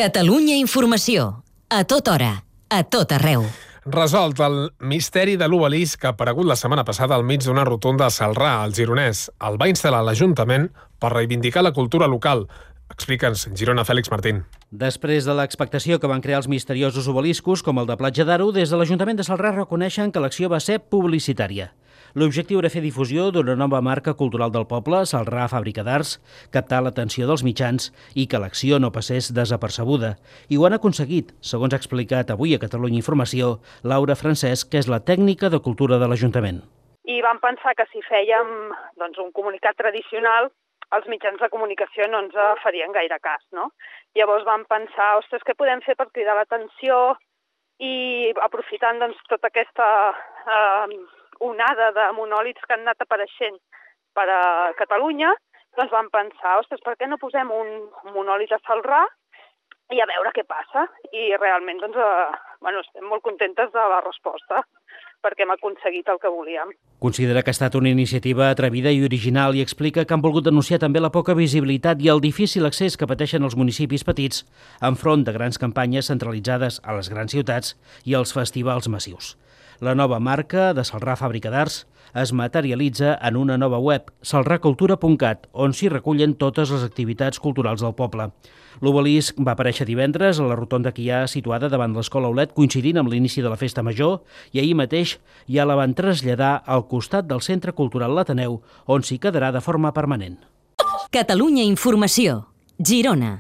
Catalunya Informació. A tota hora, a tot arreu. Resolt el misteri de l'obelisc que ha aparegut la setmana passada al mig d'una rotonda a Celrà, al Gironès. El va instal·lar l'Ajuntament per reivindicar la cultura local. Explica'ns, Girona, Fèlix Martín. Després de l'expectació que van crear els misteriosos obeliscos, com el de Platja d'Aro, des de l'Ajuntament de Celrà reconeixen que l'acció va ser publicitària. L'objectiu era fer difusió d'una nova marca cultural del poble, Celrà Fàbrica d'Arts, captar l'atenció dels mitjans i que l'acció no passés desapercebuda. I ho han aconseguit, segons ha explicat avui a Catalunya Informació Laura Francesc, que és la tècnica de cultura de l'Ajuntament. I vam pensar que si fèiem un comunicat tradicional, els mitjans de comunicació no ens farien gaire cas, no? Llavors vam pensar, ostres, què podem fer per cridar l'atenció i aprofitant tota aquesta onada de monòlits que han anat apareixent per a Catalunya, doncs vam pensar, ostres, per què no posem un monòlit a Celrà i a veure què passa? I realment estem molt contentes de la resposta, perquè hem aconseguit el que volíem. Considera que ha estat una iniciativa atrevida i original i explica que han volgut denunciar també la poca visibilitat i el difícil accés que pateixen els municipis petits enfront de grans campanyes centralitzades a les grans ciutats i als festivals massius. La nova marca de Celrà Fàbrica d'Arts es materialitza en una nova web, celracultura.cat, on s'hi recullen totes les activitats culturals del poble. L'obelisc va aparèixer divendres a la rotonda que hi ha situada davant l'Escola Aulet, coincidint amb l'inici de la Festa Major, i ahir mateix ja la van traslladar al costat del Centre Cultural L'Ateneu, on s'hi quedarà de forma permanent. Catalunya Informació. Girona.